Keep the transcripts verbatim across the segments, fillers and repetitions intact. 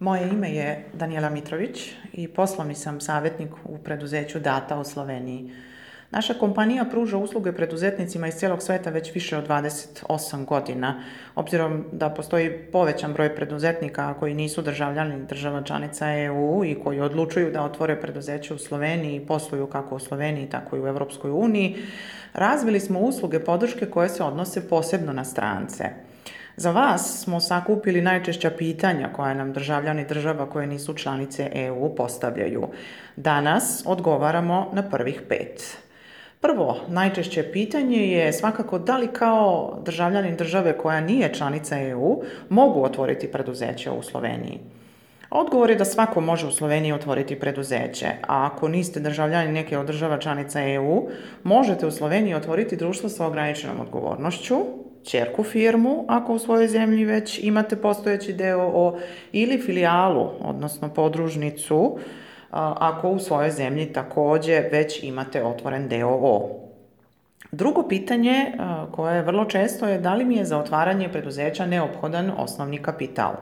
Moje ime je Danijela Mitrović i poslovni sam savjetnik u preduzeću Data u Sloveniji. Naša kompanija pruža usluge preduzetnicima iz cijelog sveta već više od dvadeset osam godina. Obzirom da postoji povećan broj preduzetnika koji nisu državljani država članica E U i koji odlučuju da otvore preduzeće u Sloveniji i posluju kako u Sloveniji, tako i u Europskoj uniji, razvili smo usluge podrške koje se odnose posebno na strance. Za vas smo sakupili najčešća pitanja koja nam državljani država koje nisu članice E U postavljaju. Danas odgovaramo na prvih pet. Prvo, najčešće pitanje je svakako da li kao državljanin države koja nije članica E U mogu otvoriti preduzeće u Sloveniji. Odgovor je da svako može u Sloveniji otvoriti preduzeće, a ako niste državljani neke od država članica E U, možete u Sloveniji otvoriti društvo sa ograničenom odgovornošću, ćerku firmu, ako u svojoj zemlji već imate postojeći D O O, ili filijalu, odnosno podružnicu, ako u svojoj zemlji također već imate otvoren D O O. Drugo pitanje koje je vrlo često je da li mi je za otvaranje preduzeća neophodan osnovni kapital.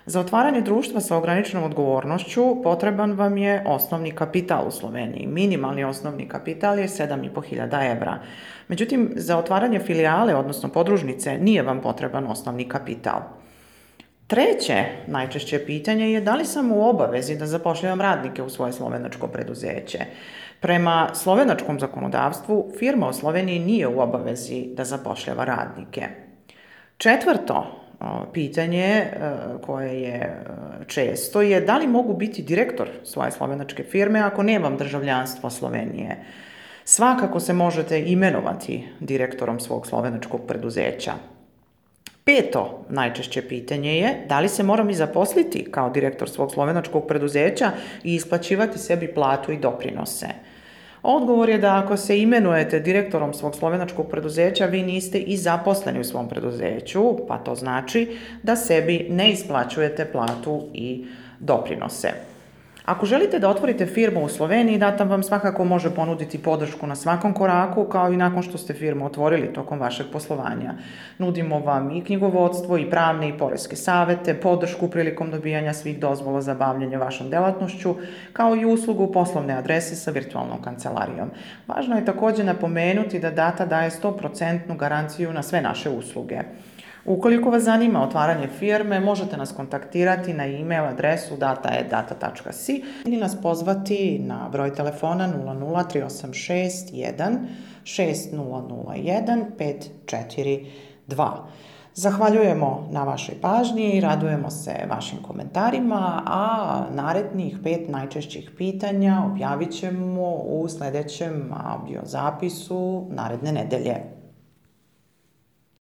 Za otvaranje društva sa ograničenom odgovornošću potreban vam je osnovni kapital u Sloveniji. Minimalni osnovni kapital je sedam i po hiljada evra. Međutim, za otvaranje filijale, odnosno podružnice, nije vam potreban osnovni kapital. Treće najčešće pitanje je da li sam u obavezi da zapošljavam radnike u svoje slovenačko preduzeće. Prema slovenačkom zakonodavstvu, firma u Sloveniji nije u obavezi da zapošljava radnike. Četvrto pitanje koje je često je da li mogu biti direktor svoje slovenačke firme ako nemam državljanstvo Slovenije. Svakako se možete imenovati direktorom svog slovenačkog preduzeća. Peto najčešće pitanje je da li se moram i zaposliti kao direktor svog slovenačkog preduzeća i isplaćivati sebi platu i doprinose. Odgovor je da ako se imenujete direktorom svog slovenačkog preduzeća, vi niste i zaposleni u svom preduzeću, pa to znači da sebi ne isplaćujete platu i doprinose. Ako želite da otvorite firmu u Sloveniji, Data vam svakako može ponuditi podršku na svakom koraku, kao i nakon što ste firmu otvorili tokom vašeg poslovanja. Nudimo vam i knjigovodstvo, i pravne i poreske savete, podršku prilikom dobijanja svih dozvola za bavljenje vašom delatnošću, kao i uslugu poslovne adrese sa virtualnom kancelarijom. Važno je također napomenuti da Data daje sto posto garanciju na sve naše usluge. Ukoliko vas zanima otvaranje firme, možete nas kontaktirati na e-mail adresu data at data tačka si ili nas pozvati na broj telefona nula nula tri osam šest jedan šest nula nula jedan pet četiri dva. Zahvaljujemo na vašoj pažnji i radujemo se vašim komentarima, a narednih pet najčešćih pitanja objavit ćemo u sljedećem audio zapisu naredne nedelje.